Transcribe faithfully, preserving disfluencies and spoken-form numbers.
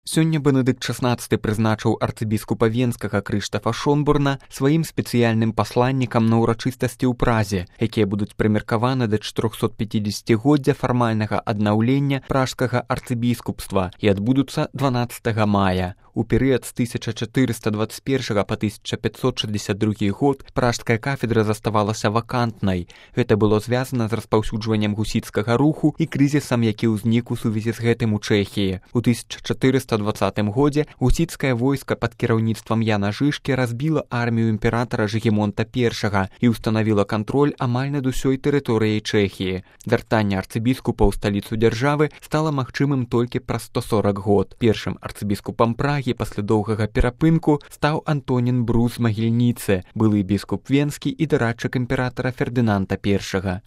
Сёння Бенедыкт шаснаццаты прызначыў арцыбіскупа Венскага Крыштафа Шонбурна сваім спецыяльным пасланнікам на ўрачыстасці ў Празе, якія будуць прымеркаваны да чатырохсотпяцідзесяцігоддзя фармальнага аднаўлення пражскага арцыбіскупства і адбудуцца дванаццатага мая. У перыяд з тысяча чатырыста дваццаць першага па тысяча пятьсот шэсцьдзесят другі год пражская кафедра заставалася вакантнай. Гэта было звязана з распаўсюджваннем гусіцкага руху і крызісам, які ўзнік у сувязі з гэтым у Чэхіі. У тысяча чатырыста дваццатым годзе гусіцкае войска пад кіраўніцтвам Яна Жышкі разбіла армію імператара Жыгімонта першага і ўстанавіла кантроль амаль над усёй тэрыторыяй Чэхіі. Вяртанне арцыбіскупа ў сталіцу дзяржавы стала магчымым толькі праз сто сорак год. Першым арцыбіскупам Прагі пасля доўгага перапынку стаў Антонін Брус з Магільніцы, былы біскуп Венскі і дарадчык імператара Фердынанда першага.